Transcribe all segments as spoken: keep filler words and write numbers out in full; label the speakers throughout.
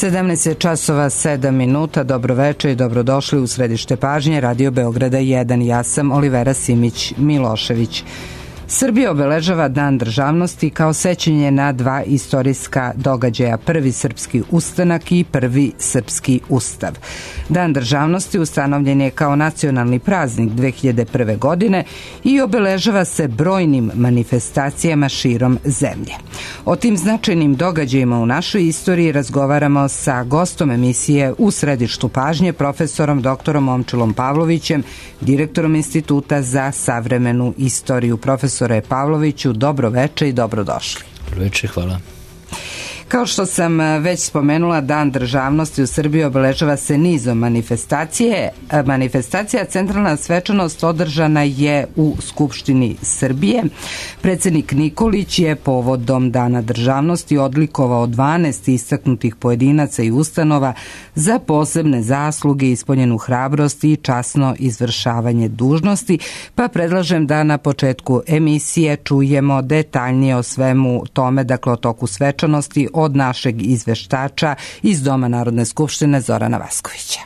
Speaker 1: sedamnaest časova sedam minuta, dobroveče i dobrodošli u središte pažnje Radio Beograda jedan. Ja sam Olivera Simić Milošević. Srbija obeležava Dan državnosti kao sećanje na dva istorijska događaja, prvi srpski ustanak i prvi srpski ustav. Dan državnosti ustanovljen je kao nacionalni praznik dve hiljade prve. godine i obeležava se brojnim manifestacijama širom zemlje. O tim značajnim događajima u našoj istoriji razgovaramo sa gostom emisije U središtu pažnje, profesorom doktorom Momčilom Pavlovićem, direktorom Instituta za savremenu istoriju. Profesore Pavloviću, dobro veče i dobrodošli.
Speaker 2: Dobro veče, hvala.
Speaker 1: Kao što sam već spomenula, Dan državnosti u Srbiji obeležava se nizom manifestacije. Manifestacija centralna svečanost održana je u Skupštini Srbije. Predsednik Nikolić je povodom Dana državnosti odlikovao dvanaest istaknutih pojedinaca i ustanova za posebne zasluge, ispunjenu hrabrost i časno izvršavanje dužnosti, pa predlažem da na početku emisije čujemo detaljnije o svemu tome, dakle o toku svečanosti, od našeg izveštača iz Doma Narodne skupštine Zorana Vaskovića.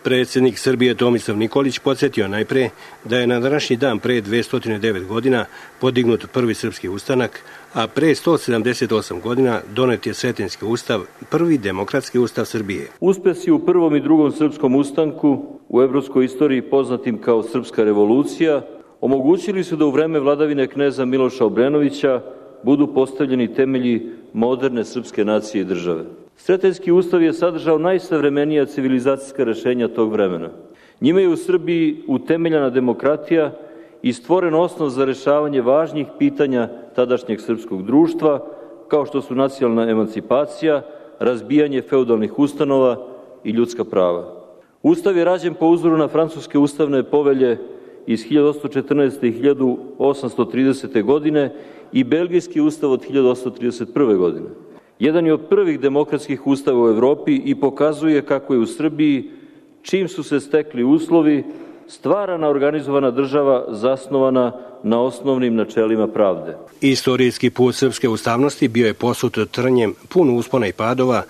Speaker 3: Predsjednik Srbije Tomislav Nikolić podsjetio najpre da je na današnji dan pre dvesta devet godina podignut prvi srpski ustanak, a pre sto sedamdeset osam godina donet je Sretenjski ustav, prvi demokratski ustav Srbije.
Speaker 4: Uspesi u prvom i drugom srpskom ustanku, u evropskoj istoriji poznatim kao Srpska revolucija, omogućili su da u vreme vladavine kneza Miloša Obrenovića budu postavljeni temelji moderne srpske nacije i države. Sretenjski ustav je sadržao najsavremenija civilizacijska rešenja tog vremena. Njime je u Srbiji utemeljena demokratija i stvoren osnov za rešavanje važnih pitanja tadašnjeg srpskog društva, kao što su nacionalna emancipacija, razbijanje feudalnih ustanova i ljudska prava. Ustav je rađen po uzoru na francuske ustavne povelje iz hiljadu osamsto četrnaeste. i hiljadu osamsto tridesete. godine i belgijski ustav od hiljadu osamsto trideset prve. godine. Jedan je od prvih demokratskih ustava u Evropi i pokazuje kako je u Srbiji, čim su se stekli uslovi, stvarana organizovana država zasnovana na osnovnim načelima pravde.
Speaker 3: Istorijski put srpske ustavnosti bio je posut trnjem, pun uspona i padova,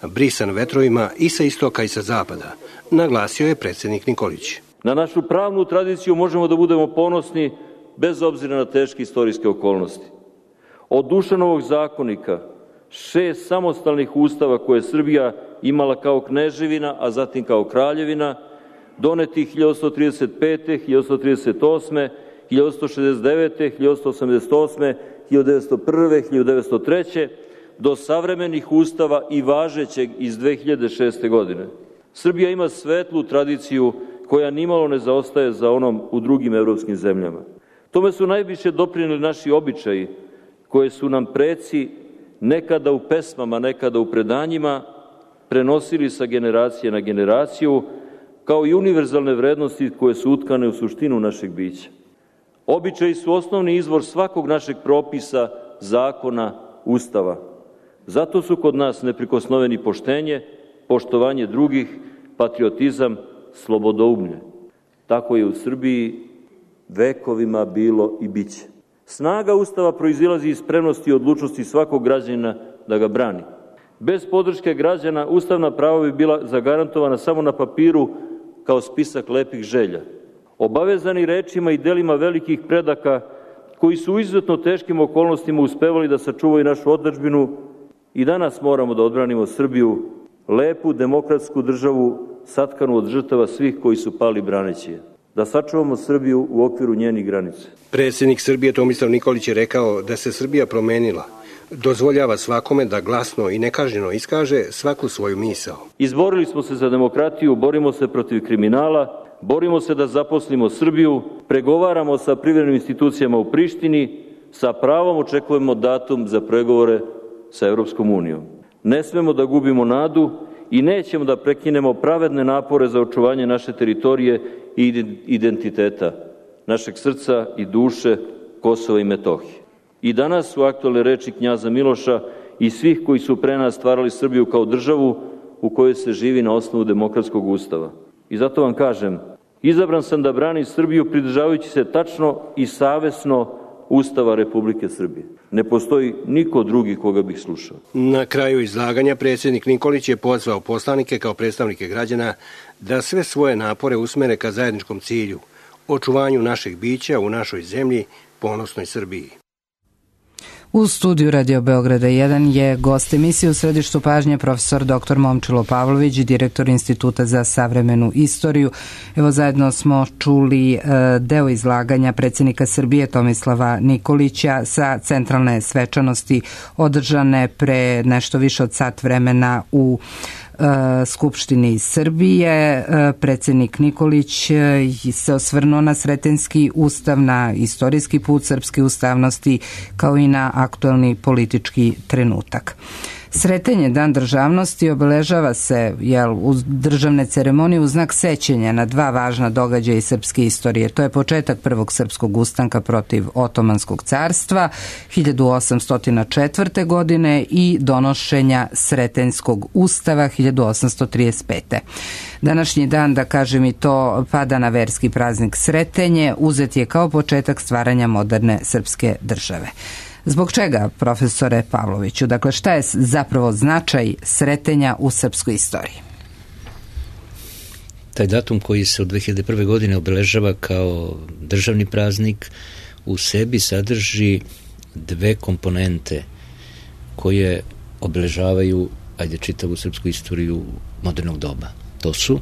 Speaker 3: brisan vetrovima i sa istoka i sa zapada, naglasio je predsjednik Nikolić.
Speaker 4: Na našu pravnu tradiciju možemo da budemo ponosni bez obzira na teške istorijske okolnosti. Od Dušanovog zakonika, šest samostalnih ustava koje je Srbija imala kao kneževina, a zatim kao kraljevina, doneti hiljadu osamsto trideset pete. hiljadu osamsto trideset osme. hiljadu osamsto šezdeset devete. hiljadu osamsto osamdeset osme. hiljadu devetsto prve. hiljadu devetsto treće. do savremenih ustava i važećeg iz dve hiljade šeste. godine. Srbija ima svetlu tradiciju koja nimalo ne zaostaje za onom u drugim evropskim zemljama. Tome su najviše doprinijeli naši običaji, koje su nam preci nekada u pesmama, nekada u predanjima prenosili sa generacije na generaciju, kao i univerzalne vrednosti koje su utkane u suštinu našeg bića. Običaji su osnovni izvor svakog našeg propisa, zakona, ustava. Zato su kod nas neprikosnoveni poštenje, poštovanje drugih, patriotizam, slobodoumlje. Tako je u Srbiji vekovima bilo i biće. Snaga Ustava proizilazi iz spremnosti i odlučnosti svakog građanina da ga brani. Bez podrške građana ustavna prava bi bila zagarantovana samo na papiru kao spisak lepih želja. Obavezani rečima i delima velikih predaka koji su u izuzetno teškim okolnostima uspevali da sačuvaju našu otadžbinu, i danas moramo da odbranimo Srbiju, lepu demokratsku državu satkanu od žrtava svih koji su pali braneći je. Da sačuvamo Srbiju u okviru njenih granica.
Speaker 3: Predsjednik Srbije Tomislav Nikolić je rekao da se Srbija promenila, dozvoljava svakome da glasno i nekažnjeno iskaže svaku svoju misao.
Speaker 4: Izborili smo se za demokratiju, borimo se protiv kriminala, borimo se da zaposlimo Srbiju, pregovaramo sa privremenim institucijama u Prištini, sa pravom očekujemo datum za pregovore sa Evropskom unijom. Ne smemo da gubimo nadu i nećemo da prekinemo pravedne napore za očuvanje naše teritorije i identiteta, našeg srca i duše, Kosova i Metohije. I danas su aktualne reči knjaza Miloša i svih koji su pre nas stvarali Srbiju kao državu u kojoj se živi na osnovu demokratskog ustava. I zato vam kažem, izabran sam da branim Srbiju pridržavajući se tačno i savesno Ustava Republike Srbije. Ne postoji niko drugi koga bih slušao.
Speaker 3: Na kraju izlaganja predsjednik Nikolić je pozvao poslanike kao predstavnike građana da sve svoje napore usmere ka zajedničkom cilju, očuvanju našeg bića u našoj zemlji, ponosnoj Srbiji.
Speaker 1: U studiju Radio Beograda jedan je gost emisije u središtu pažnje profesor doktor Momčilo Pavlović, direktor Instituta za savremenu istoriju. Evo, zajedno smo čuli e, deo izlaganja predsjednika Srbije Tomislava Nikolića sa centralne svečanosti održane pre nešto više od sat vremena u Skupštini Srbije. Predsjednik Nikolić se osvrnuo na Sretenjski ustav, na istorijski put srpske ustavnosti, kao i na aktualni politički trenutak. Sretenje, Dan državnosti, obeležava se jel, u državne ceremonije u znak sećenja na dva važna događaja iz srpske istorije. To je početak prvog srpskog ustanka protiv Otomanskog carstva hiljadu osamsto četvrte. godine i donošenja Sretenjskog ustava hiljadu osamsto trideset pete. Današnji dan, da kažem i to, pada na verski praznik Sretenje, uzet je kao početak stvaranja moderne srpske države. Zbog čega, profesore Pavloviću? Dakle, šta je zapravo značaj Sretenja u srpskoj istoriji?
Speaker 2: Taj datum koji se od dve hiljade prve. godine obeležava kao državni praznik u sebi sadrži dve komponente koje obeležavaju, ajde, čitavu srpsku istoriju modernog doba. To su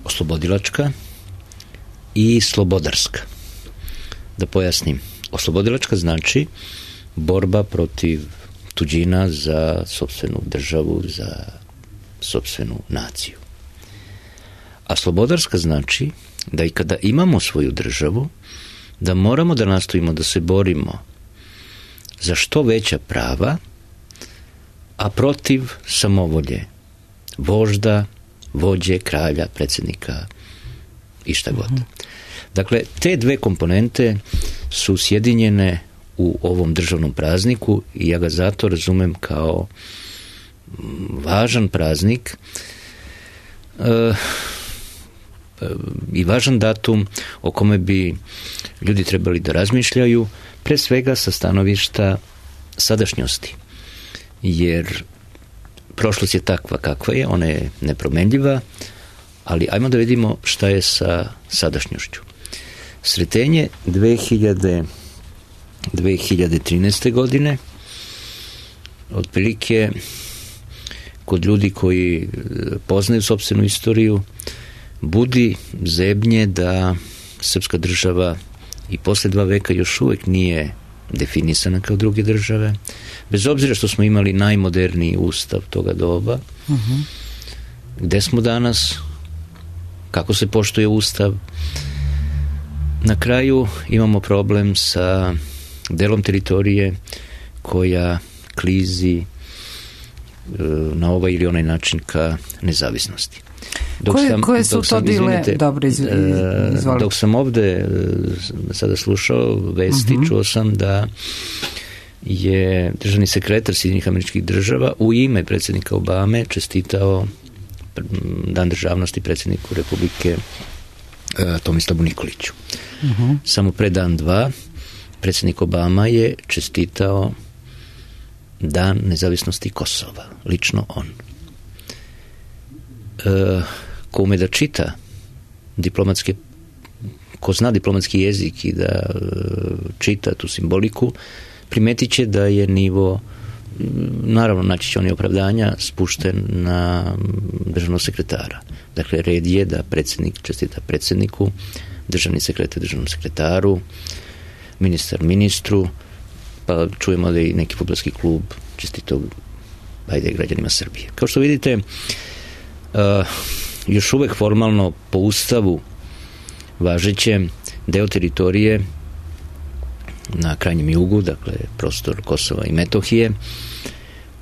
Speaker 2: oslobodilačka i slobodarska. Da pojasnim. Oslobodilačka znači borba protiv tuđina za sopstvenu državu, za sopstvenu naciju. A slobodarska znači da i kada imamo svoju državu, da moramo da nastojimo da se borimo za što veća prava, a protiv samovolje vožda, vođe, kralja, predsjednika i šta god. Dakle, te dve komponente su sjedinjene u ovom državnom prazniku i ja ga zato razumem kao važan praznik e, i važan datum o kome bi ljudi trebali da razmišljaju, pre svega sa stanovišta sadašnjosti. Jer prošlost je takva kakva je, ona je nepromenljiva, ali ajmo da vidimo šta je sa sadašnjošću. Sretenje dve hiljade trinaeste. godine, otprilike kod ljudi koji poznaju sopstvenu istoriju, budi zebnje da srpska država i posle dva veka još uvek nije definisana kao druge države, bez obzira što smo imali najmoderniji ustav toga doba. Uh-huh. Gde smo danas, kako se poštuje ustav. Na kraju imamo problem sa delom teritorije koja klizi na ovaj ili onaj način ka nezavisnosti. Dok
Speaker 1: koje,
Speaker 2: sam,
Speaker 1: koje su
Speaker 2: dok
Speaker 1: to
Speaker 2: sam,
Speaker 1: dile?
Speaker 2: izvinite,
Speaker 1: Dobro, izvolite.
Speaker 2: Dok sam ovde sada slušao vesti, uh-huh. čuo sam da je državni sekretar Sjedinjenih Američkih Država u ime predsjednika Obame čestitao Dan državnosti predsjedniku Republike Tomislavu Nikoliću. Uh-huh. Samo pre dan dva predsjednik Obama je čestitao Dan nezavisnosti Kosova. Lično on. E, ko ume da čita diplomatske, ko zna diplomatski jezik i da e, čita tu simboliku, primetit će da je nivo, naravno naći će oni opravdanja, spušten na državnog sekretara. Dakle, red je da predsjednik čestita predsjedniku, državni sekretar državnom sekretaru, ministar ministru, pa čujemo da i neki fudbalski klub čestitao, ajde, građanima Srbije. Kao što vidite, uh, još uvek formalno po ustavu važeće deo teritorije na krajnjem jugu, dakle prostor Kosova i Metohije,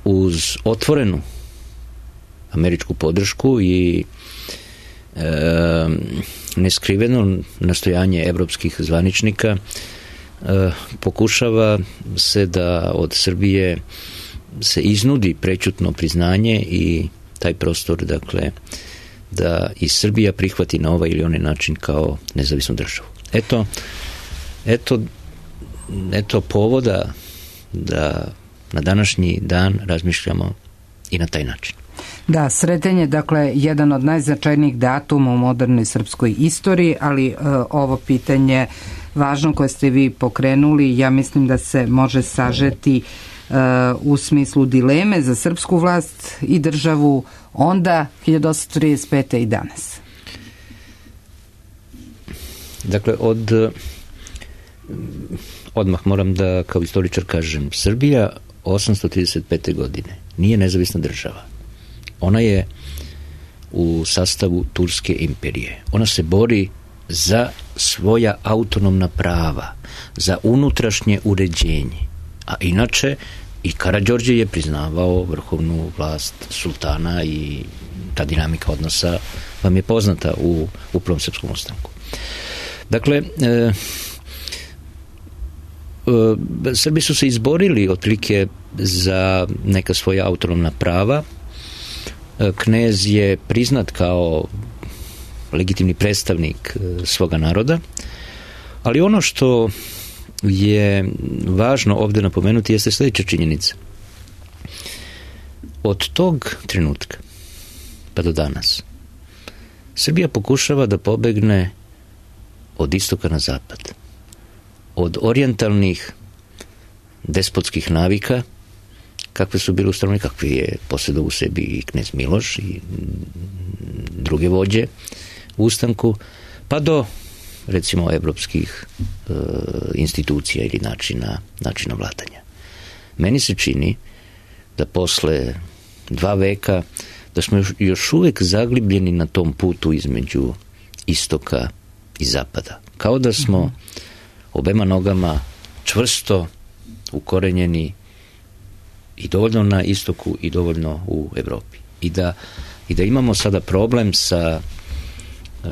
Speaker 2: uz otvorenu američku podršku i e, neskriveno nastojanje evropskih zvaničnika, e, pokušava se da od Srbije se iznudi prećutno priznanje i taj prostor, dakle, da i Srbija prihvati na ovaj ili onaj način kao nezavisnu državu. Eto, eto, eto povoda da na današnji dan razmišljamo i na taj način.
Speaker 1: Da, Sretenj je dakle jedan od najznačajnijih datuma u modernoj srpskoj istoriji, ali e, ovo pitanje važno koje ste vi pokrenuli, ja mislim da se može sažeti e, u smislu dileme za srpsku vlast i državu onda hiljadu osamsto trideset pete i danas.
Speaker 2: Dakle, od odmah moram da kao istoričar kažem, Srbija osamsto trideset pete godine nije nezavisna država. Ona je u sastavu Turske imperije. Ona se bori za svoja autonomna prava, za unutrašnje uređenje. A inače i Karađorđe je priznavao vrhovnu vlast sultana i ta dinamika odnosa vam je poznata u, u Prvom srpskom ustanku. Dakle, e, e, Srbi su se izborili otprilike za neka svoja autonomna prava. Knez je priznat kao legitimni predstavnik svoga naroda, ali ono što je važno ovdje napomenuti jeste sljedeća činjenica. Od tog trenutka pa do danas Srbija pokušava da pobegne od istoka na zapad, od orijentalnih despotskih navika kakve su bile ustanovne, kakve je posjedao u sebi i knez Miloš i druge vođe u ustanku, pa do recimo evropskih e, institucija ili načina, načina vladanja. Meni se čini da posle dva veka da smo još, još uvek zaglibljeni na tom putu između istoka i zapada. Kao da smo obema nogama čvrsto ukorenjeni i dovoljno na istoku i dovoljno u Evropi. I da, i da imamo sada problem sa e,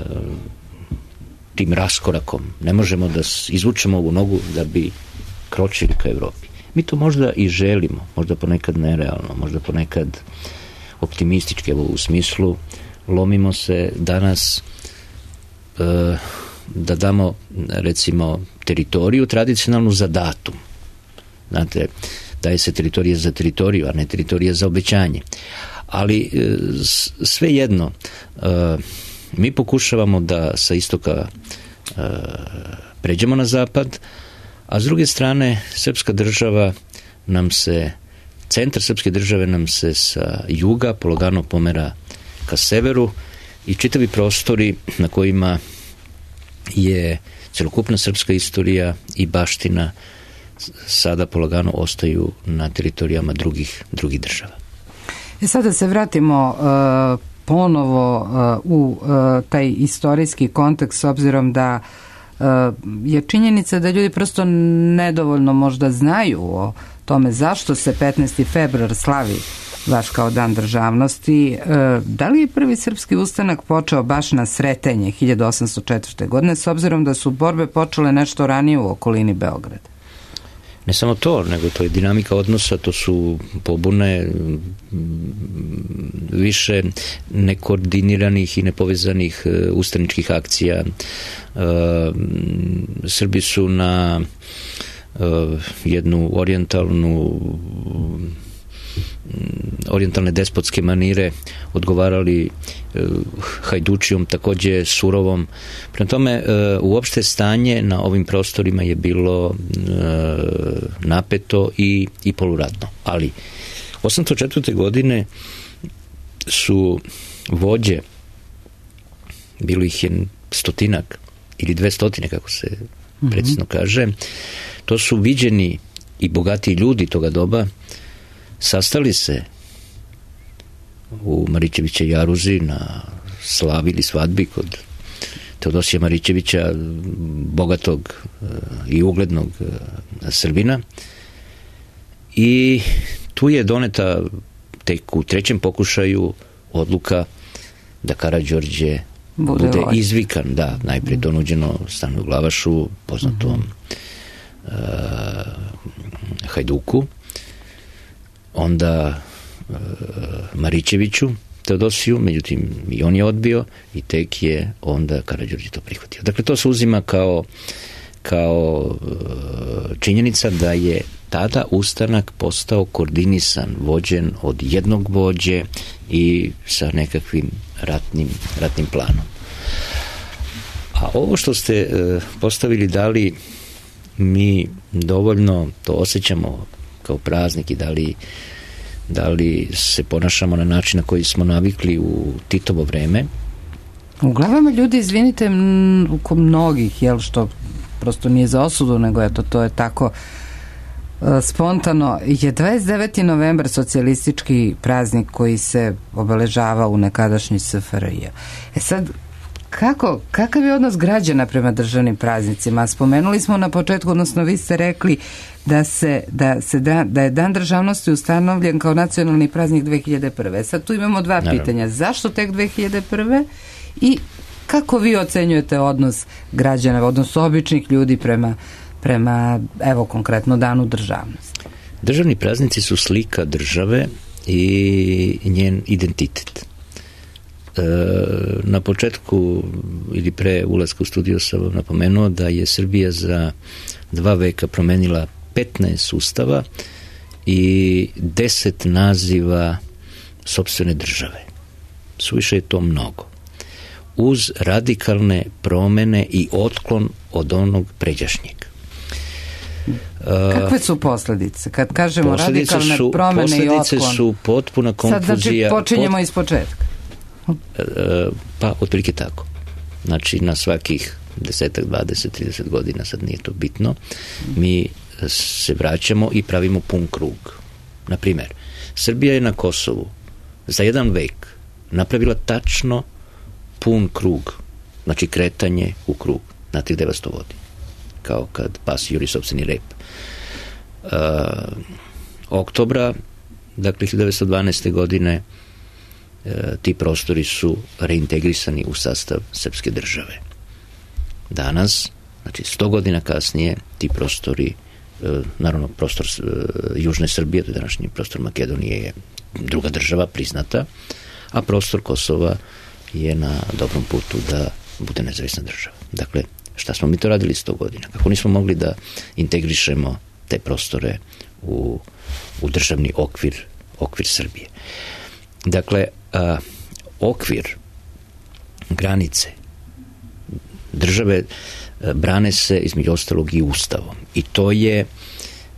Speaker 2: tim raskorakom. Ne možemo da izvučemo ovu nogu da bi kročili ka Evropi. Mi to možda i želimo, možda ponekad nerealno, možda ponekad optimistički, evo u smislu lomimo se danas e, da damo recimo teritoriju tradicionalnu za datum. Znate, daje se teritorija za teritoriju, a ne teritorija za obećanje. Ali svejedno, mi pokušavamo da sa istoka pređemo na zapad, a s druge strane srpska država nam se, centar srpske države nam se sa juga polagano pomera ka severu i čitavi prostori na kojima je celokupna srpska istorija i baština sada polagano ostaju na teritorijama drugih, drugih država.
Speaker 1: E sada se vratimo uh, ponovo uh, u uh, taj istorijski kontekst, s obzirom da uh, je činjenica da ljudi prosto nedovoljno možda znaju o tome zašto se petnaesti februar slavi baš kao dan državnosti. Uh, da li je prvi srpski ustanak počeo baš na Sretenje hiljadu osamsto četvrte. godine, s obzirom da su borbe počele nešto ranije u okolini Beograda?
Speaker 2: Ne samo to, nego to je dinamika odnosa, to su pobune više nekoordiniranih i nepovezanih ustaničkih akcija. Srbi su na jednu orijentalnu orijentalne despotske manire odgovarali hajdučijom, takođe surovom. Prema tome, uopšte stanje na ovim prostorima je bilo napeto i, i poluratno. Ali osamsto četvrte. godine su vođe, bilo ih je stotinak ili dve stotine, kako se precizno kaže, to su viđeni i bogatiji ljudi toga doba, sastali se u Marićevića jaruzi na slavi ili svadbi kod Teodosija Marićevića, bogatog i uglednog Srbina, i tu je doneta tek u trećem pokušaju odluka da Karađorđe bude, bude izvikan, da, najprije to nuđeno Stanoju Glavašu, poznatom uh, Hajduku, onda e, Marićeviću Teodosiju, međutim i on je odbio i tek je onda Karađorđe to prihvatio. Dakle, to se uzima kao, kao činjenica da je tada ustanak postao koordinisan, vođen od jednog vođe i sa nekakvim ratnim, ratnim planom. A ovo što ste postavili, da li mi dovoljno to osjećamo kao praznik i da li, da li se ponašamo na način na koji smo navikli u Titovo vreme?
Speaker 1: U glavama ljudi, izvinite, oko mnogih, jel, što prosto nije za osudu, nego eto, to je tako spontano, je dvadeset deveti novembar socijalistički praznik koji se obeležava u nekadašnji S F R J. E sad, kako, kakav je odnos građana prema državnim praznicima? Spomenuli smo na početku, odnosno vi ste rekli da, se, da, se da, da je Dan državnosti ustanovljen kao nacionalni praznik dve hiljade prve. Sad tu imamo dva Naravno. pitanja. Zašto tek dve hiljade prve? I kako vi ocenjujete odnos građana, odnos običnih ljudi prema prema, evo, konkretno Danu državnosti?
Speaker 2: Državni praznici su slika države i njen identitet. E, na početku ili pre ulaska u studio sam vam napomenuo da je Srbija za dva veka promenila petnaest ustava i deset naziva sopstvene države. Suviše je to mnogo. Uz radikalne promene i otklon od onog pređašnjeg.
Speaker 1: Kakve su posljedice? Kad kažemo
Speaker 2: posljedice
Speaker 1: radikalne
Speaker 2: su,
Speaker 1: promene i otklon.
Speaker 2: Posljedice su potpuna konfuzija.
Speaker 1: Sad znači počinjemo pot... iz početka.
Speaker 2: Pa, otprilike tako. Znači, na svakih desetak, dvadeset, trideset godina, sad nije to bitno, mi se vraćamo i pravimo pun krug. Naprimjer, Srbija je na Kosovu za jedan vek napravila tačno pun krug, znači kretanje u krug. Znate gde vas to vodi? Kao kad pas juri sopstveni rep. Uh, oktobra, dakle hiljadu devetsto dvanaeste. godine, uh, ti prostori su reintegrisani u sastav srpske države. Danas, znači sto godina kasnije, ti prostori, uh, naravno prostor uh, Južne Srbije, to je današnji prostor Makedonije, je druga država priznata, a prostor Kosova je na dobrom putu da bude nezavisna država. Dakle, šta smo mi to radili sto godina? Kako nismo mogli da integrišemo te prostore u, u državni okvir, okvir Srbije? Dakle, a, okvir, granice države a, brane se između ostalog i ustavom. I to je,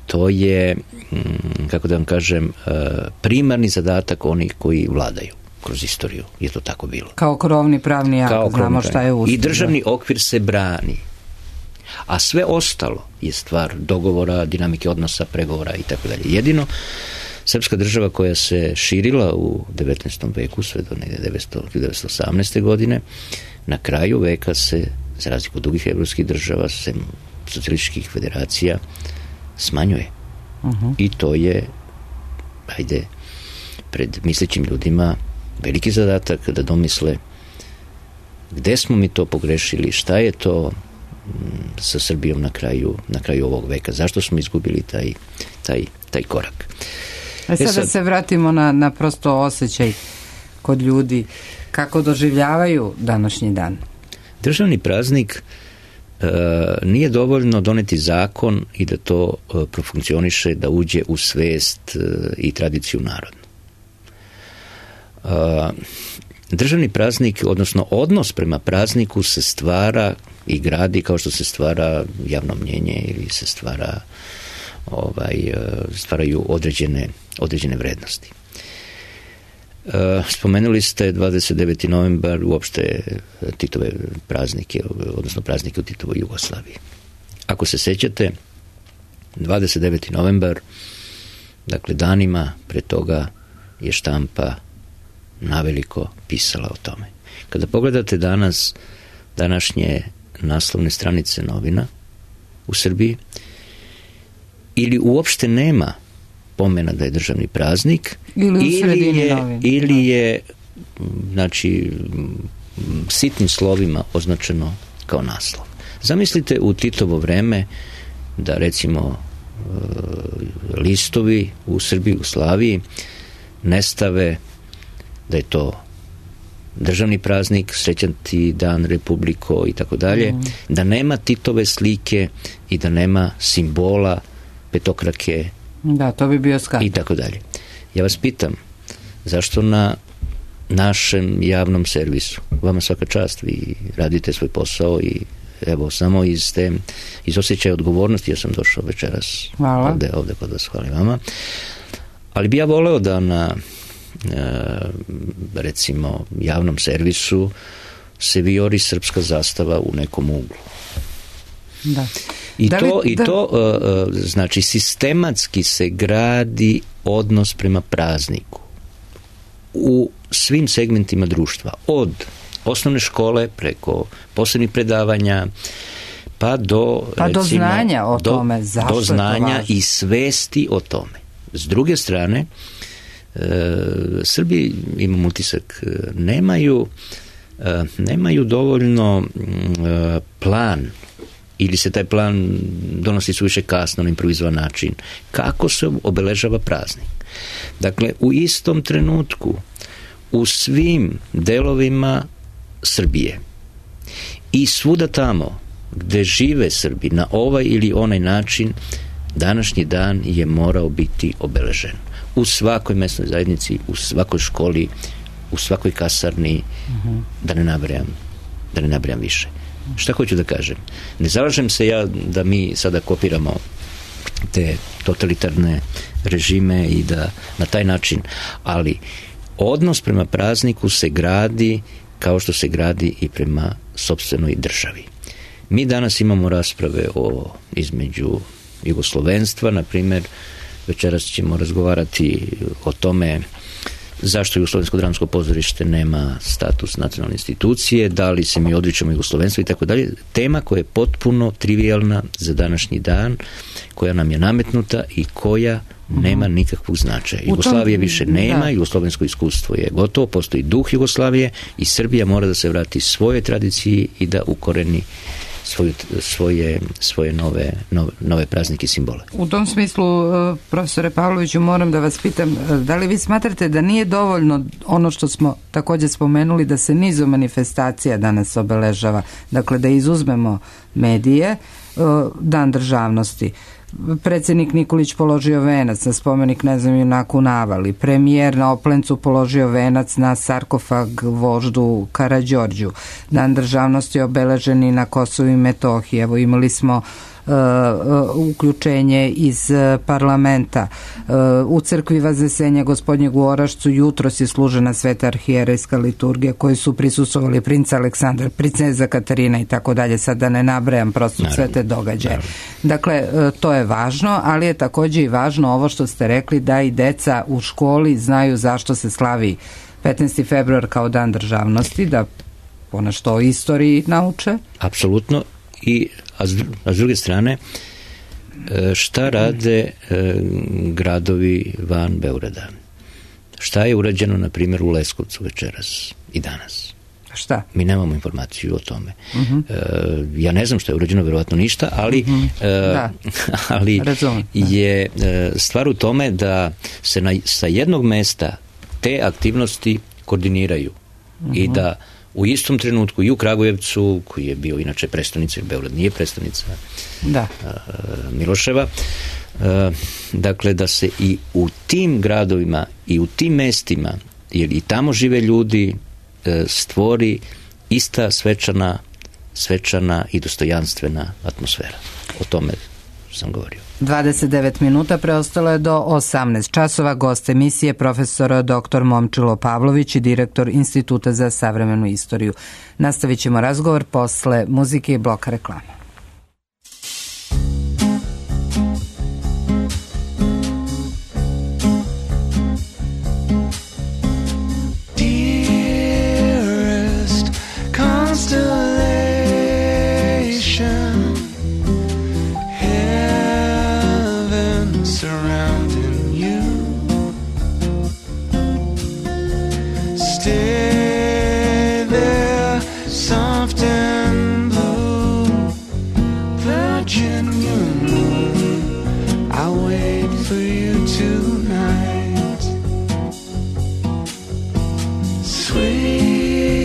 Speaker 2: to je m, kako da vam kažem, a, primarni zadatak onih koji vladaju. Kroz istoriju je to tako bilo.
Speaker 1: Kao krovni pravni akt, znamo šta je ustav.
Speaker 2: I državni okvir se brani. A sve ostalo je stvar dogovora, dinamike odnosa, pregovora i tako dalje. Jedino srpska država koja se širila u devetnaestom veku, sve do hiljadu devetsto osamnaeste. godine, na kraju veka se, za razliku od drugih evropskih država, sem socijalističkih federacija, smanjuje. Uh-huh. I to je, ajde, pred mislećim ljudima veliki zadatak da domisle gde smo mi to pogrešili, šta je to sa Srbijom na kraju, na kraju ovog veka, zašto smo izgubili taj, taj, taj korak.
Speaker 1: A sada e sad, se vratimo na, na prosto osjećaj kod ljudi, kako doživljavaju današnji dan.
Speaker 2: Državni praznik e, nije dovoljno doneti zakon i da to e, profunkcioniše, da uđe u svest e, i tradiciju naroda. Uh, državni praznik, odnosno odnos prema prazniku se stvara i gradi kao što se stvara javno mnjenje ili se stvara ovaj, stvaraju određene, određene vrednosti. Uh, spomenuli ste dvadeset deveti novembar, uopšte Titove praznike, odnosno praznike u Titovoj Jugoslaviji. Ako se sećate, dvadeset deveti novembar, dakle danima pre toga je štampa naveliko pisala o tome. Kada pogledate danas današnje naslovne stranice novina u Srbiji, ili uopšte nema pomena da je državni praznik,
Speaker 1: ili,
Speaker 2: ili je, ili je znači sitnim slovima označeno kao naslov. Zamislite u Titovo vreme da recimo listovi u Srbiji, u Slaviji ne stave da je to državni praznik, srećati dan Republiko i tako dalje, da nema Titove slike i da nema simbola petokrake.
Speaker 1: Da, to bi bio skandal.
Speaker 2: I tako dalje. Ja vas pitam, zašto na našem javnom servisu, vama svaka čast, vi radite svoj posao i evo, samo iz te, iz osjećaja odgovornosti ja sam došao večeras ovde, ovde kod vas, hvala vama. Ali bi ja voleo da na recimo javnom servisu se vijori srpska zastava u nekom uglu.
Speaker 1: Da.
Speaker 2: I
Speaker 1: da
Speaker 2: to,
Speaker 1: li,
Speaker 2: i
Speaker 1: da...
Speaker 2: to uh, znači sistematski se gradi odnos prema prazniku u svim segmentima društva, od osnovne škole preko posebnih predavanja pa do
Speaker 1: pa
Speaker 2: recimo,
Speaker 1: do znanja o
Speaker 2: do,
Speaker 1: tome zašto
Speaker 2: do znanja
Speaker 1: je to važno
Speaker 2: i svesti o tome. S druge strane, e, Srbi, imam utisak, nemaju e, nemaju dovoljno e, plan, ili se taj plan donosi suviše kasno na improvizovan način, kako se obeležava praznik. Dakle, u istom trenutku u svim delovima Srbije i svuda tamo gde žive Srbi na ovaj ili onaj način, današnji dan je morao biti obeležen. U svakoj mesnoj zajednici, u svakoj školi, u svakoj kasarni, uh-huh. da ne nabrajam, da ne nabrajam više. Šta hoću da kažem? Ne zalažem se ja da mi sada kopiramo te totalitarne režime i da na taj način, ali odnos prema prazniku se gradi kao što se gradi i prema sopstvenoj državi. Mi danas imamo rasprave o između jugoslovenstva, na primjer, večeras ćemo razgovarati o tome zašto Jugoslovensko dramsko pozorište nema status nacionalne institucije, da li se mi odričemo jugoslovenstva i tako dalje. Tema koja je potpuno trivijalna za današnji dan, koja nam je nametnuta i koja nema nikakvog značaja. Jugoslavije više nema, da. Jugoslovensko iskustvo je gotovo, postoji duh Jugoslavije i Srbija mora da se vrati svoje tradiciji i da ukoreni Svoje, svoje, svoje nove, nove, nove praznike i simbole.
Speaker 1: U tom smislu, profesore Pavloviću, moram da vas pitam, da li vi smatrate da nije dovoljno ono što smo također spomenuli, da se nizu manifestacija danas obeležava, dakle da izuzmemo medije, Dan državnosti, predsjednik Nikolić položio venac na spomenik ne znam junaku Navali, premijer na Oplencu položio venac na sarkofag voždu Karađorđu, Dan državnosti je obeležen i na Kosovu i Metohiji. Evo imali smo Uh, uh, uključenje iz uh, parlamenta. Uh, u crkvi Vaznesenja Gospodnjeg u Orašcu jutros je služena sveta arhijerejska liturgija koji su prisustvovali princ Aleksandar, princeza Katarina i tako dalje, sad da ne nabrajam prosto sve te događaje. Naravno. Dakle, uh, to je važno, ali je također i važno ovo što ste rekli, da i deca u školi znaju zašto se slavi petnaesti februar kao Dan državnosti, da ponešto o istoriji nauče.
Speaker 2: Apsolutno. I, a, s, a s druge strane, šta rade e, gradovi van Beograda? Šta je urađeno, na primjer, u Leskovcu večeras i danas?
Speaker 1: Šta?
Speaker 2: Mi nemamo informaciju o tome.
Speaker 1: Uh-huh.
Speaker 2: E, ja ne znam šta je urađeno, verovatno ništa, ali, uh-huh. e,
Speaker 1: da.
Speaker 2: ali
Speaker 1: Razumem,
Speaker 2: je e, stvar u tome da se na, sa jednog mesta te aktivnosti koordiniraju uh-huh. i da u istom trenutku i u Kragujevcu, koji je bio inače prestonica, jer Beograd nije prestonica
Speaker 1: da.
Speaker 2: Miloševa, dakle da se i u tim gradovima i u tim mestima, jer i tamo žive ljudi, stvori ista svečana, svečana i dostojanstvena atmosfera. O tome sam govorio.
Speaker 1: dvadeset devet minuta preostalo je do osamnaest časova. Gost emisije profesor doktor Momčilo Pavlović i direktor Instituta za savremenu istoriju. Nastavit ćemo razgovor posle muzike i bloka reklama.
Speaker 5: Tonight, sweet.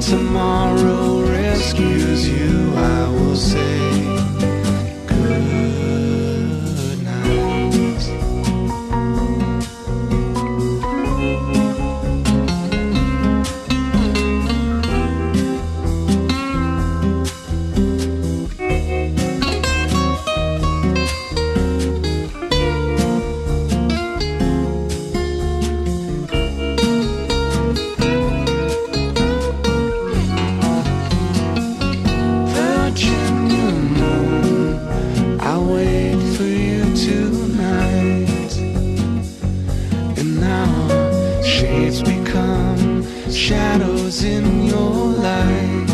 Speaker 5: tomorrow rescues you, I will say good night. Shadows in your light.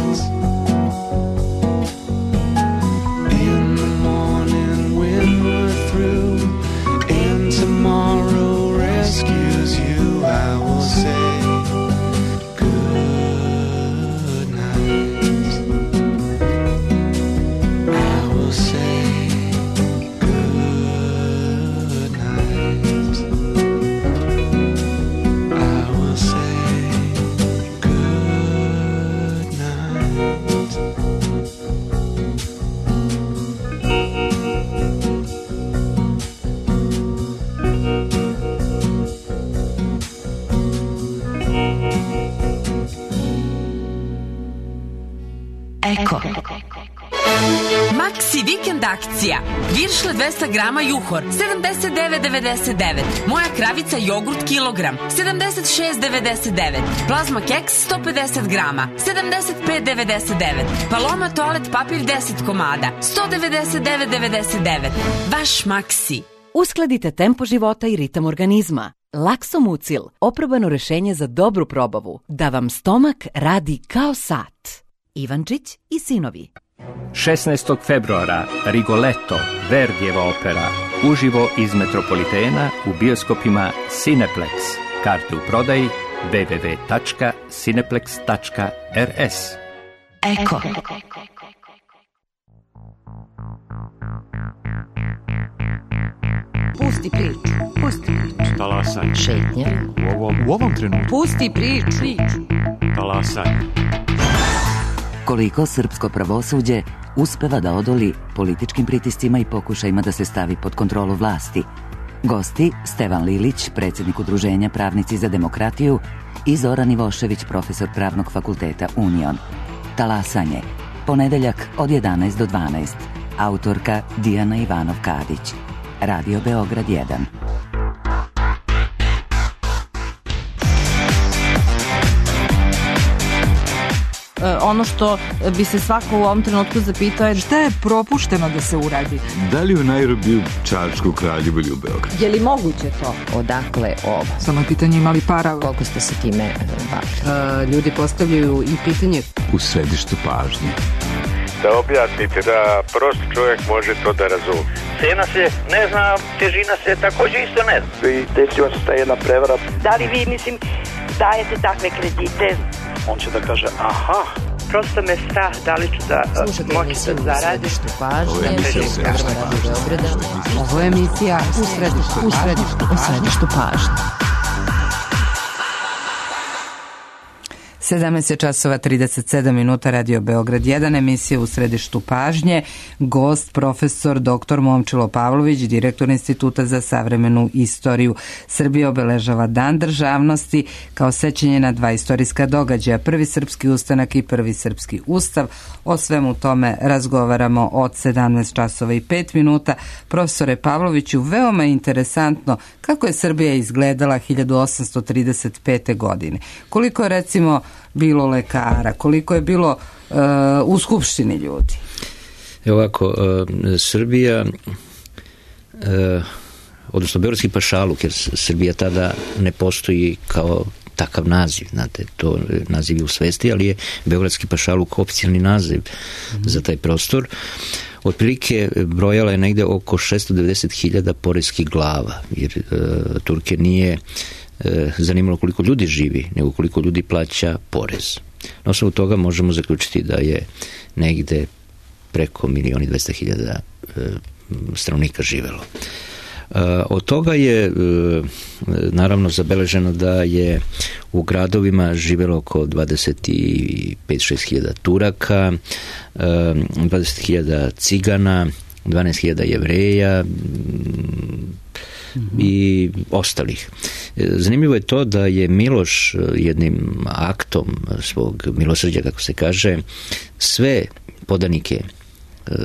Speaker 5: In the morning when we're through and tomorrow rescues you, I will say good night. I will say good night. I will say
Speaker 6: Eko. Maxi vikend akcija. Viršle dvesta grama juhor, sedamdeset devet devedeset devet. Moja kravica jogurt kilogram, sedamdeset šest devedeset devet. Plazma keks sto pedeset grama, sedamdeset pet devedeset devet. Paloma toalet papir deset komada, sto devedeset devet devedeset devet. Vaš Maxi.
Speaker 7: Uskladite tempo života i ritam organizma. Laksomucil, oprobano rešenje za dobru probavu, da vam stomak radi kao sat. Ivančić i sinovi.
Speaker 8: šesnaestog februara Rigoletto, Verdijeva opera, uživo iz Metropolitena u bioskopima Cineplex. Karte u prodaji w w w tačka cineplex tačka r s.
Speaker 6: Eko.
Speaker 9: Pusti priču. Pusti priču.
Speaker 10: Talasaj.
Speaker 9: Šetnja.
Speaker 10: U ovom, u ovom trenutku.
Speaker 9: Pusti priču.
Speaker 10: Talasaj.
Speaker 11: Koliko srpsko pravosuđe uspeva da odoli političkim pritiscima i pokušajima da se stavi pod kontrolu vlasti. Gosti Stevan Lilić, predsjednik Udruženja Pravnici za demokratiju, i Zoran Ivošević, profesor Pravnog fakulteta Union. Talasanje. Ponedeljak od jedanaest do dvanaest. Autorka Dijana Ivanov-Kadić. Radio Beograd jedan.
Speaker 12: Ono što bi se svako u ovom trenutku zapitao je šta je propušteno da se uradi.
Speaker 13: Da li u Nairobiju, Čačku, Kraljevu ili u Beogradu?
Speaker 12: Je li moguće to?
Speaker 9: Odakle ovo?
Speaker 12: Samo je pitanje imali para.
Speaker 9: Koliko ste se time bavili?
Speaker 1: Ljudi postavljaju i pitanje
Speaker 13: u središtu pažnje.
Speaker 14: Da objasnite da prost čovjek može to da razumije.
Speaker 15: Cena se ne zna, težina se također isto ne zna.
Speaker 16: I desila se ta jedna prevara.
Speaker 17: Da li vi, mislim, dajete takve kredite?
Speaker 16: On će da kaže, aha.
Speaker 17: Prosto me strah da li ću da moći da zaradim.
Speaker 1: Ovo je emisija Ovo je emisija u središtu, u središtu, u središtu pažnje. sedamnaest časova trideset sedam minuta, Radio Beograd jedan, emisija u središtu pažnje. Gost profesor doktor Momčilo Pavlović, direktor Instituta za savremenu istoriju. Srbija obeležava Dan državnosti kao sećanje na dva istorijska događaja, prvi srpski ustanak i prvi srpski ustav. O svemu tome razgovaramo od sedamnaest časova i pet minuta. Profesore Pavloviću, veoma interesantno kako je Srbija izgledala hiljadu osamsto trideset pete. godine. Koliko je recimo bilo lekara, koliko je bilo uh, u skupštini ljudi?
Speaker 2: Evo ovako, uh, Srbija, uh, odnosno Beogradski pašaluk, jer Srbija tada ne postoji kao takav naziv, znate, to naziv je u svesti, ali je Beogradski pašaluk oficijalni naziv mm. za taj prostor. Otprilike brojala je negde oko šesto devedeset hiljada poreskih glava, jer uh, Turke nije zanimalo koliko ljudi živi, nego koliko ljudi plaća porez. Na osnovu toga možemo zaključiti da je negde preko milion i dvesta hiljada stanovnika živelo. Od toga je naravno zabeleženo da je u gradovima živjelo oko dvadeset pet do šest hiljada Turaka, dvadeset hiljada Cigana, dvanaest hiljada Jevreja i ostalih. Zanimljivo je to da je Miloš jednim aktom svog milosrđa, kako se kaže, sve podanike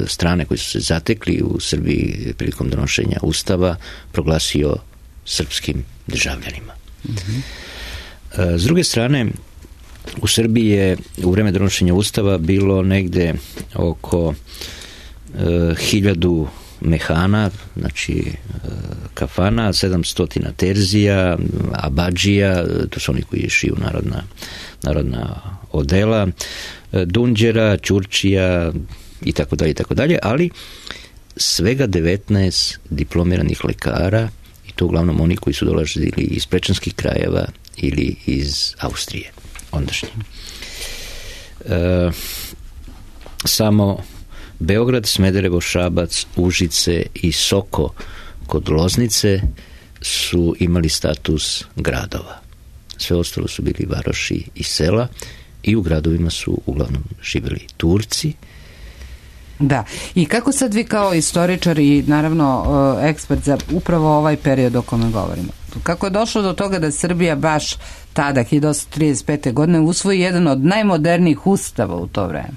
Speaker 2: strane koji su se zatekli u Srbiji prilikom donošenja Ustava proglasio srpskim državljanima. Mm-hmm. S druge strane, u Srbiji je u vreme donošenja Ustava bilo negde oko e, hiljadu mehana, znači e, kafana, sedamsto terzija, abadžija, to su oni koji šiju narodna, narodna odela, e, dunđera, ćurčija i tako dalje i tako dalje, ali svega devetnaest diplomiranih lekara, i to uglavnom oni koji su dolazili iz prečanskih krajeva ili iz Austrije ondašnje. E, samo Beograd, Smederevo, Šabac, Užice i Soko kod Loznice su imali status gradova. Sve ostalo su bili varoši i sela i u gradovima su uglavnom živjeli Turci.
Speaker 1: Da, i kako sad vi kao istoričar i naravno ekspert za upravo ovaj period o kome govorimo, kako je došlo do toga da Srbija baš tada, hiljadu osamsto trideset pete. godine, usvoji jedan od najmodernijih ustava u to vreme,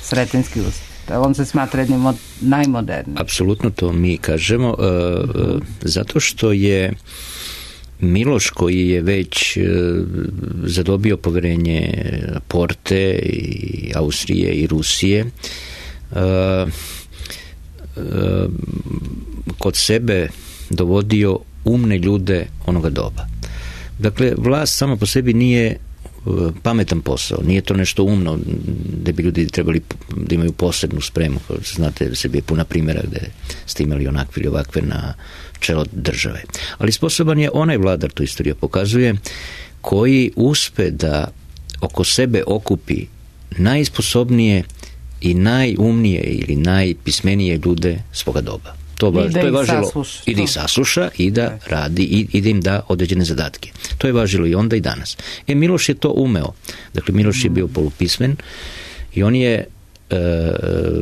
Speaker 1: Sretenjski ustav? On se smatra jednim od najmodernijih.
Speaker 2: Apsolutno to mi kažemo, uh, zato što je Miloš, koji je već uh, zadobio poverenje Porte i Austrije i Rusije, Uh, uh, kod sebe dovodio umne ljude onoga doba. Dakle, vlast sama po sebi nije uh, pametan posao, nije to nešto umno da bi ljudi trebali da imaju posebnu spremu. Znate, Srbija je puna primjera gde ste imali onakve ili ovakve na čelo države. Ali sposoban je onaj vladar, to istorija pokazuje, koji uspe da oko sebe okupi najsposobnije i najumnije ili najpismenije ljude svoga doba. To,
Speaker 1: I da
Speaker 2: to je
Speaker 1: ih
Speaker 2: važilo
Speaker 1: sasluša.
Speaker 2: I da ih sasluša i da radi i, i da im da određene zadatke. To je važilo i onda i danas. E, Miloš je to umeo. Dakle, Miloš je bio polupismen i on je uh,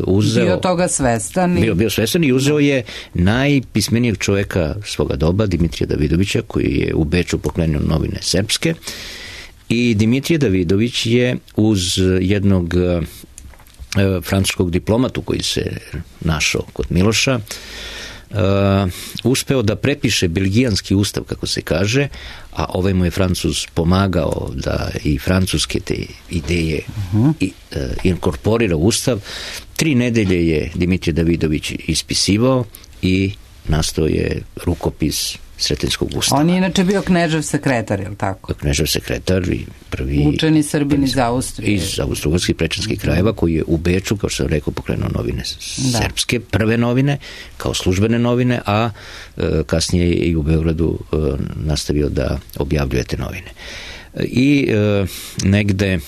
Speaker 2: uzeo...
Speaker 1: Bio toga svestan. I...
Speaker 2: Bio, bio svestan i uzeo je najpismenijeg čovjeka svoga doba, Dimitrija Davidovića, koji je u Beču pokrenuo novine srpske. I Dimitrije Davidović je uz jednog francuskog diplomatu koji se našao kod Miloša, uh, uspeo da prepiše belgijanski ustav, kako se kaže, a ovaj mu je Francuz pomagao da i francuske te ideje uh-huh. i, uh, inkorporira u ustav. Tri nedelje je Dimitrije Davidović ispisivao i nastao je rukopis Sretenjskog ustava.
Speaker 1: On je inače bio knežev sekretar, je li tako?
Speaker 2: Knežev sekretar i prvi...
Speaker 1: Učeni Srbin iz Austrije.
Speaker 2: Iz austrougarskih prečanskih krajeva, koji je u Beču, kao što sam rekao, pokrenuo novine
Speaker 1: da.
Speaker 2: srpske, prve novine, kao službene novine, a e, kasnije je i u Beogradu e, nastavio da objavljuje te novine. I e, negde e,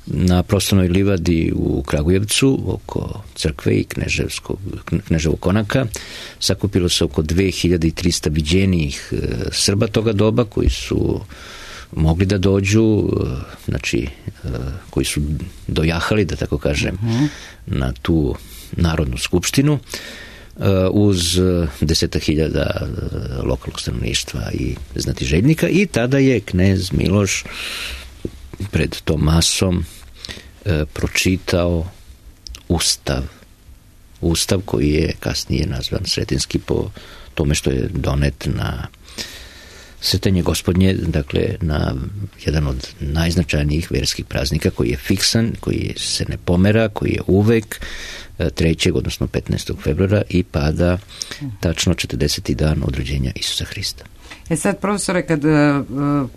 Speaker 2: na prostornoj livadi u Kragujevcu, oko crkve i Kneževog konaka, sakupilo se oko dve hiljade trista viđenijih Srba toga doba, koji su mogli da dođu, znači, koji su dojahali, da tako kažem, uh-huh. na tu narodnu skupštinu, uz deseta hiljada lokalnog stanovništva i znatiželjnika, i tada je knez Miloš pred tom masom e, pročitao ustav. Ustav koji je kasnije nazvan Sretenjski po tome što je donet na Sretenje Gospodnje, dakle na jedan od najznačajnijih verskih praznika koji je fiksan, koji se ne pomera, koji je uvek trećeg, odnosno petnaestog februara i pada tačno četrdeseti dan od rođenja Isusa Hrista.
Speaker 1: E sad, profesore, kad uh,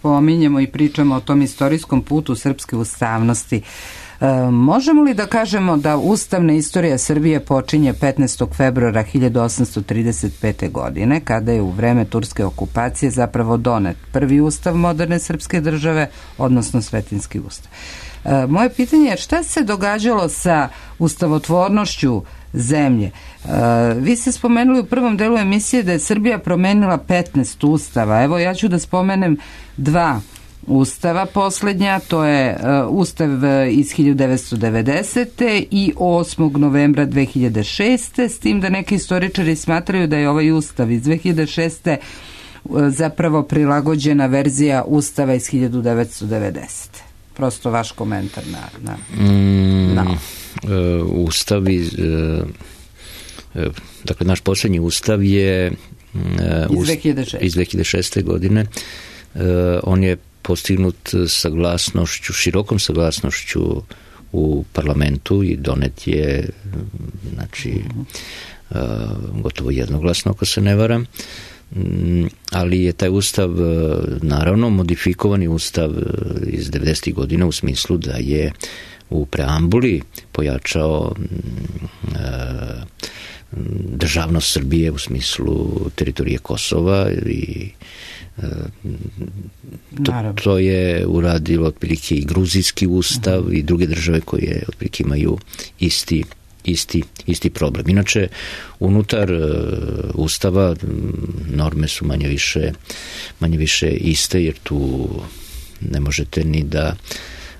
Speaker 1: pominjemo i pričamo o tom istorijskom putu srpske ustavnosti, uh, možemo li da kažemo da ustavna istorija Srbije počinje petnaestog februara hiljadu osamsto trideset pete. godine, kada je u vreme turske okupacije zapravo donet prvi ustav moderne srpske države, odnosno Svetinski ustav. E, moje pitanje je šta se događalo sa ustavotvornošću zemlje? E, vi ste spomenuli u prvom delu emisije da je Srbija promenila petnaest ustava. Evo, ja ću da spomenem dva ustava poslednja, to je uh, ustav iz hiljadu devetsto devedesete. i osmog novembra dve hiljade šeste. s tim da neki istoričari smatraju da je ovaj ustav iz dve hiljade šeste. Uh, zapravo prilagođena verzija ustava iz hiljadu devetsto devedesete. Prosto vaš komentar na, na,
Speaker 2: mm,
Speaker 1: na.
Speaker 2: Uh, ustav iz uh, uh, dakle naš posljednji ustav je uh,
Speaker 1: iz dve hiljade šeste.
Speaker 2: iz dve hiljade šeste. godine. Uh, on je postignut saglasnošću, širokom saglasnošću u parlamentu i donet je, znači, uh, gotovo jednoglasno, ako se ne varam, um, ali je taj ustav, uh, naravno, modifikovani ustav iz devedesetih godina u smislu da je u preambuli pojačao uh, državnost Srbije u smislu teritorije Kosova i To, to je uradilo otprilike i gruzijski ustav uh-huh. i druge države koje otprilike imaju isti, isti, isti problem. Inače, unutar uh, ustava norme su manje više, manje više iste, jer tu ne možete ni da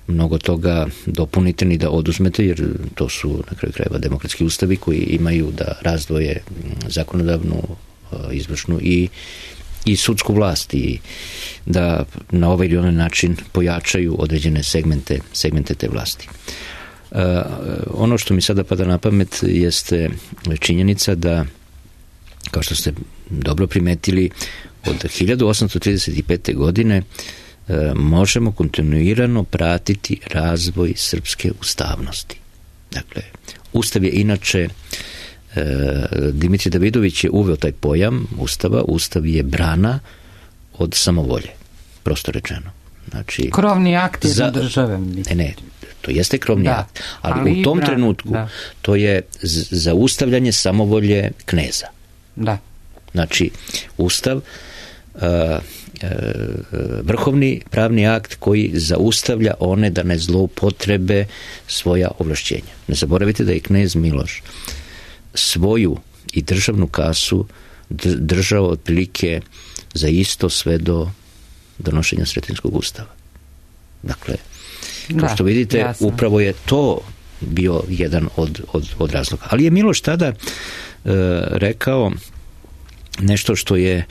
Speaker 2: mnogo toga dopunite ni da oduzmete, jer to su na kraju krajeva demokratski ustavi koji imaju da razdvoje zakonodavnu, uh, izvršnu i i sudsku vlast i da na ovaj ili onaj način pojačaju određene segmente, segmente te vlasti. Uh, ono što mi sada pada na pamet jeste činjenica da, kao što ste dobro primetili, od hiljadu osamsto trideset pete. godine uh, možemo kontinuirano pratiti razvoj srpske ustavnosti. Dakle, ustav je inače Dimitrij Davidović je uveo taj pojam ustava. Ustav je brana od samovolje, prosto rečeno. Znači,
Speaker 1: krovni akt jedne za, države.
Speaker 2: Ne, ne, to jeste krovni da, akt, ali, ali u tom brana, trenutku da. To je zaustavljanje samovolje kneza.
Speaker 1: Da.
Speaker 2: Znači, ustav, uh, uh, vrhovni pravni akt koji zaustavlja one da ne zloupotrebe svoja ovlašćenja. Ne zaboravite da je knez Miloš svoju i državnu kasu držao otprilike za isto sve do donošenja Sretenskog ustava. Dakle, kao da, što vidite, jasno. Upravo je to bio jedan od, od, od razloga. Ali je Miloš tada e, rekao nešto što je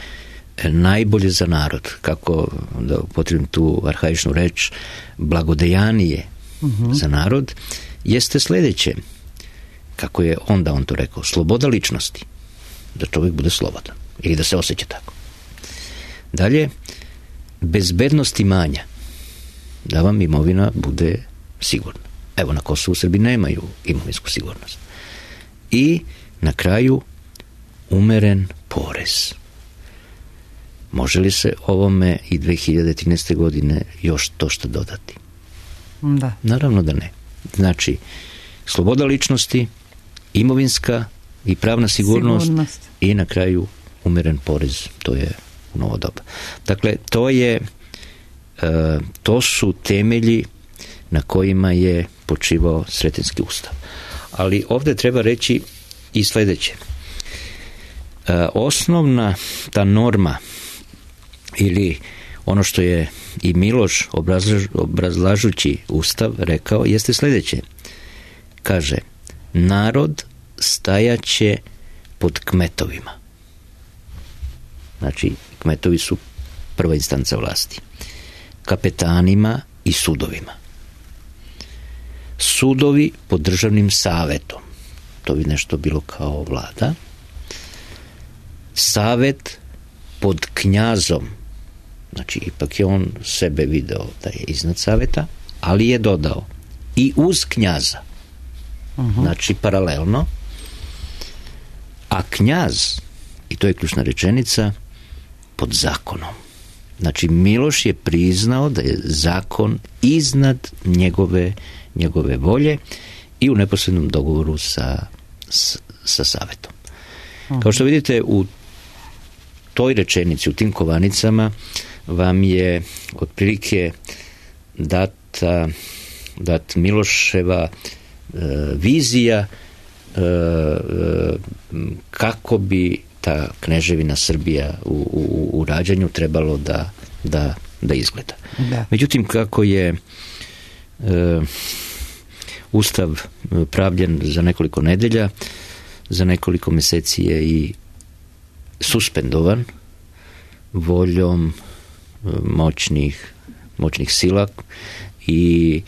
Speaker 2: najbolje za narod, kako da upotrebim tu arhaičnu reč, blagodejanije uh-huh. za narod, jeste sledeće. Kako je onda on to rekao, sloboda ličnosti, da čovjek bude slobodan ili da se osjeća tako. Dalje, bezbednost imanja, da vam imovina bude sigurna. Evo, na Kosovu Srbi nemaju imovinsku sigurnost. I na kraju, umeren porez. Može li se ovome i dve hiljade trinaeste. godine još to što dodati?
Speaker 1: Da.
Speaker 2: Naravno da ne. Znači, sloboda ličnosti, imovinska i pravna sigurnost, sigurnost i na kraju umeren porez. To je u novo doba. Dakle, to je e, to su temelji na kojima je počivao Sretenski ustav. Ali ovdje treba reći i sledeće. E, osnovna ta norma ili ono što je i Miloš obrazlaž, obrazlažući ustav rekao jeste sledeće. Kaže, narod stajaće pod kmetovima. Znači, kmetovi su prva instanca vlasti. Kapetanima i sudovima. Sudovi pod državnim savetom. To bi nešto bilo kao vlada. Savet pod knjazom. Znači, ipak je on sebe video da je iznad saveta, ali je dodao i uz knjaza. Uh-huh. Znači, paralelno. A knjaz, i to je ključna rečenica, pod zakonom. Znači, Miloš je priznao da je zakon iznad njegove, njegove volje i u neposrednom dogovoru sa, sa Savetom. Kao što vidite, u toj rečenici, u tim kovanicama, vam je otprilike data, dat Miloševa e, vizija e, kako bi ta kneževina Srbija u, u, u rađanju trebalo da, da, da izgleda. Da. Međutim, kako je e, Ustav pravljen za nekoliko nedelja, za nekoliko meseci je i suspendovan voljom moćnih, moćnih sila i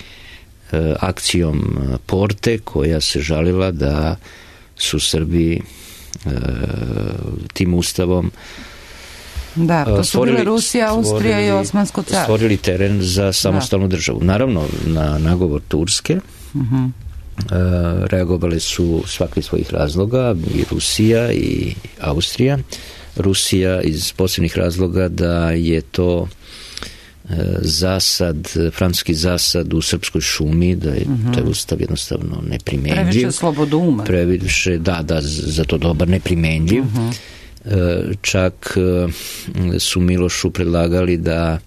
Speaker 2: e, akcijom Porte, koja se žalila da su Srbi e, tim ustavom
Speaker 1: da, to su bile Rusija, Austrija i Osmansko carstvo. Stvorili
Speaker 2: teren za samostalnu da. državu. Naravno, na nagovor Turske uh-huh. e, reagovali su svaki svojih razloga, i Rusija i Austrija. Rusija iz posebnih razloga da je to zasad, francuski zasad u srpskoj šumi, da je uh-huh. taj ustav jednostavno neprimenljiv.
Speaker 1: Previše slobodouma.
Speaker 2: Previše, da, da, za to dobar, neprimenljiv. Uh-huh. Čak su Milošu predlagali da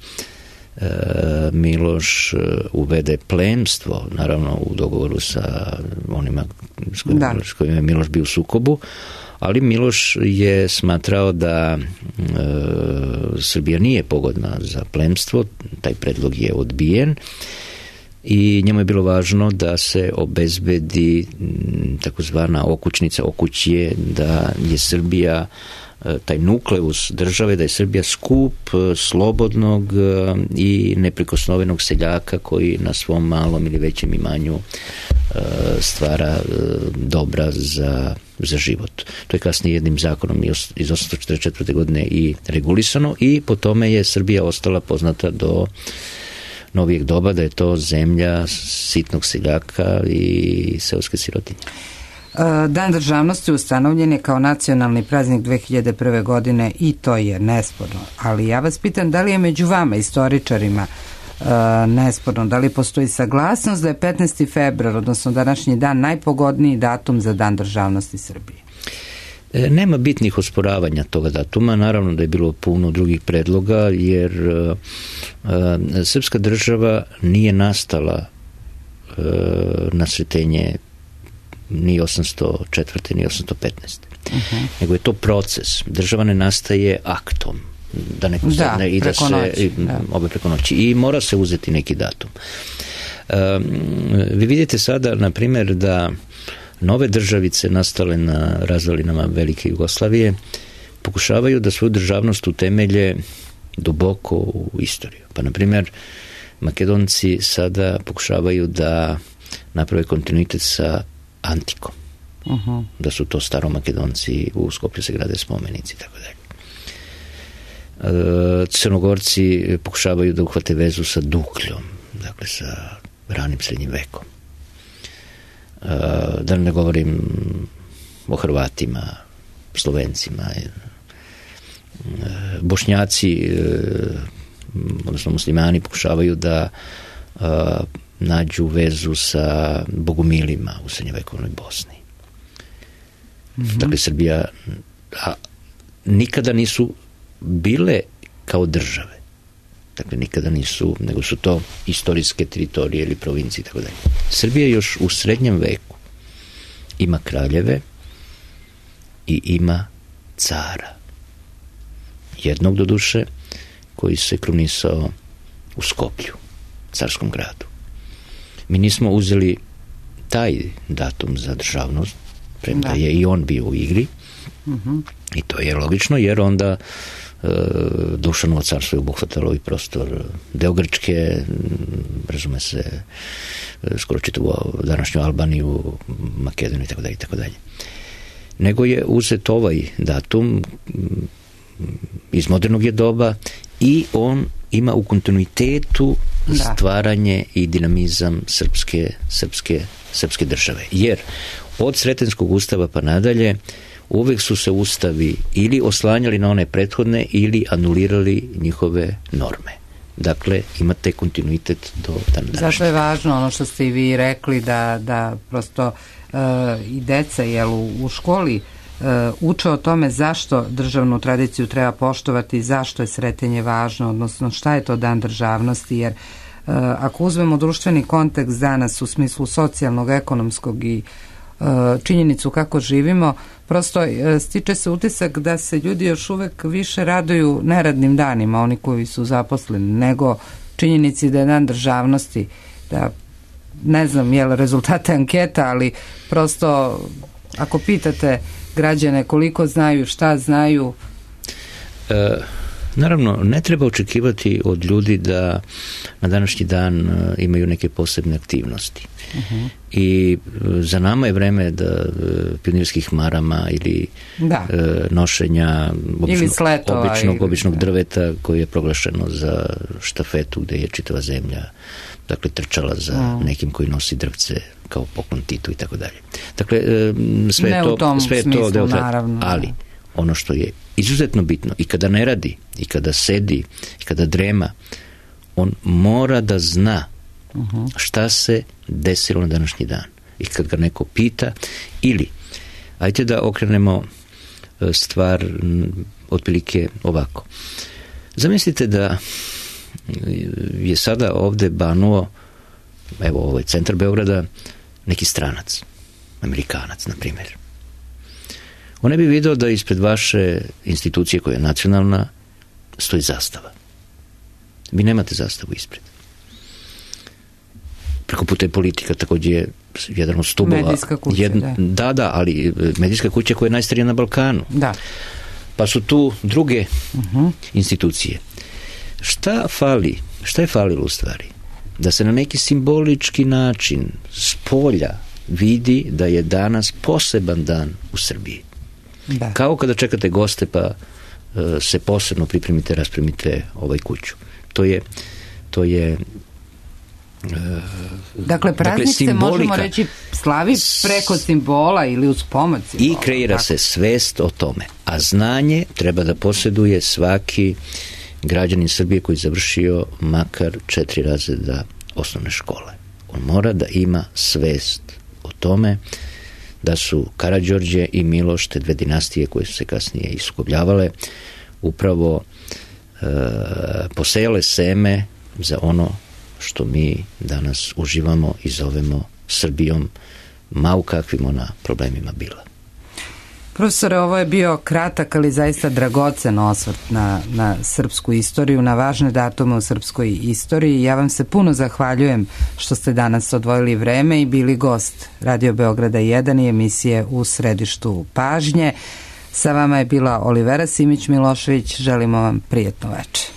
Speaker 2: Miloš uvede plemstvo, naravno u dogovoru sa onima s kojima, da. s kojima je Miloš bio u sukobu, ali Miloš je smatrao da e, Srbija nije pogodna za plemstvo, taj predlog je odbijen i njemu je bilo važno da se obezbedi takozvana okućnica, okućje, da je Srbija taj nukleus države, da je Srbija skup slobodnog i neprikosnovenog seljaka koji na svom malom ili većem imanju stvara dobra za, za život. To je kasnije jednim zakonom iz osamsto četrdeset četvrte. godine i regulisano i po tome je Srbija ostala poznata do novijeg doba, da je to zemlja sitnog seljaka i seoske sirotinje.
Speaker 1: Dan državnosti ustanovljen je kao nacionalni praznik dve hiljade prve. godine i to je nesporno. Ali ja vas pitam, da li je među vama, istoričarima, nesporno, da li postoji saglasnost da je petnaesti februar, odnosno današnji dan, najpogodniji datum za Dan državnosti Srbije?
Speaker 2: Nema bitnih osporavanja toga datuma, naravno da je bilo puno drugih predloga, jer uh, uh, srpska država nije nastala uh, na sretenje ni osamsto četvrte. ni osamsto petnaeste. Uh-huh. Nego je to proces. Država ne nastaje aktom, da neko sedne da, i da se i, da. obe preko noći. I mora se uzeti neki datum. Uh, vi vidite sada, na primjer, da nove državice nastale na razvalinama Velike Jugoslavije pokušavaju da svoju državnost utemelje duboko u istoriju. Pa, na primjer, Makedonci sada pokušavaju da naprave kontinuitet sa antikom. Uh-huh. Da su to staromakedonci, u Skoplju se grade spomenici i tako dalje. Crnogorci pokušavaju da uhvate vezu sa Dukljom, dakle sa ranim srednjim vekom. Da ne govorim o Hrvatima, Slovencima. Bošnjaci, odnosno muslimani, pokušavaju da nađu vezu sa bogumilima u srednjevekovnoj Bosni. Mm-hmm. Dakle, Srbija a, nikada nisu bile kao države. Dakle, nikada nisu, nego su to istorijske teritorije ili provincije i tako dalje. Srbija još u srednjem veku ima kraljeve i ima cara. Jednog, do duše, koji se krunisao u Skoplju, carskom gradu. Mi nismo uzeli taj datum za državnost, premda je i on bio u igri. Uh-huh. I to je logično, jer onda e, Dušanovo carstvo je obuhvatalo i prostor deo Grčke, razume se, skoro čitavu današnju Albaniju, Makedoniju i tako dalje i tako dalje. Nego je uzet ovaj datum, iz modernog je doba, i on ima u kontinuitetu da. stvaranje i dinamizam srpske, srpske, srpske države. Jer od Sretenskog ustava pa nadalje uvek su se ustavi ili oslanjali na one prethodne ili anulirali njihove norme. Dakle, imate kontinuitet do dana današnjeg.
Speaker 1: Zašto je važno ono što ste i vi rekli da, da prosto uh, i deca jel, u, u školi uh, uče o tome zašto državnu tradiciju treba poštovati, zašto je sretenje važno, odnosno šta je to dan državnosti, jer uh, ako uzmemo društveni kontekst danas u smislu socijalnog, ekonomskog i uh, činjenicu kako živimo, prosto uh, stiče se utisak da se ljudi još uvek više raduju neradnim danima, oni koji su zaposleni, nego činjenici da je dan državnosti, da ne znam je li rezultate anketa, ali prosto ako pitate građane koliko znaju, šta znaju.
Speaker 2: E, naravno, ne treba očekivati od ljudi da na današnji dan imaju neke posebne aktivnosti. Uh-huh. I za nama je vreme da pionirskih marama ili
Speaker 1: da.
Speaker 2: E, nošenja obično,
Speaker 1: sletova,
Speaker 2: običnog,
Speaker 1: ili,
Speaker 2: običnog
Speaker 1: da.
Speaker 2: drveta koje je proglašeno za štafetu gde je čitava zemlja dakle trčala za uh. nekim koji nosi drvce kao poklon Titu i tako dalje. Dakle, sve
Speaker 1: ne
Speaker 2: to,
Speaker 1: u tom
Speaker 2: sve
Speaker 1: smislu,
Speaker 2: to deo
Speaker 1: naravno.
Speaker 2: Ali ono što je izuzetno bitno i kada ne radi, i kada sedi, i kada drema, on mora da zna uh-huh. šta se desilo na današnji dan. I kad ga neko pita, ili ajte da okrenemo stvar otprilike ovako. Zamislite da je sada ovde banuo, evo ovaj centar Beograda, neki stranac, Amerikanac, na primjer. On ne bi video da ispred vaše institucije koja je nacionalna stoji zastava. Vi nemate zastavu ispred. Preko puta je politika, također je jedan od stubova.
Speaker 1: Medijska kuća,
Speaker 2: jedna,
Speaker 1: da.
Speaker 2: Da, da, ali medijska kuća koja je najstarija na Balkanu.
Speaker 1: Da.
Speaker 2: Pa su tu druge
Speaker 1: uh-huh.
Speaker 2: institucije. Šta fali? Šta je falilo u stvari? Da se na neki simbolički način s polja vidi da je danas poseban dan u Srbiji.
Speaker 1: Da.
Speaker 2: Kao kada čekate goste pa uh, se posebno pripremite, raspremite ovaj kuću. To je to je uh,
Speaker 1: dakle, praznik dakle, se možemo reći slavi preko simbola ili uz pomoć simbola.
Speaker 2: I kreira tako se svest o tome. A znanje treba da posjeduje svaki građanin Srbije koji je završio makar četiri razreda osnovne škole. On mora da ima svest o tome da su Karađorđe i Miloš, te dve dinastije koje su se kasnije iskobljavale, upravo e, posejale seme za ono što mi danas uživamo i zovemo Srbijom, ma u kakvim ona problemima bila.
Speaker 1: Profesore, ovo je bio kratak, ali zaista dragocen osvrt na, na srpsku istoriju, na važne datume u srpskoj istoriji. Ja vam se puno zahvaljujem što ste danas odvojili vreme i bili gost Radio Beograda jedan i emisije U središtu pažnje. Sa vama je bila Olivera Simić Milošević. Želimo vam prijetno večer.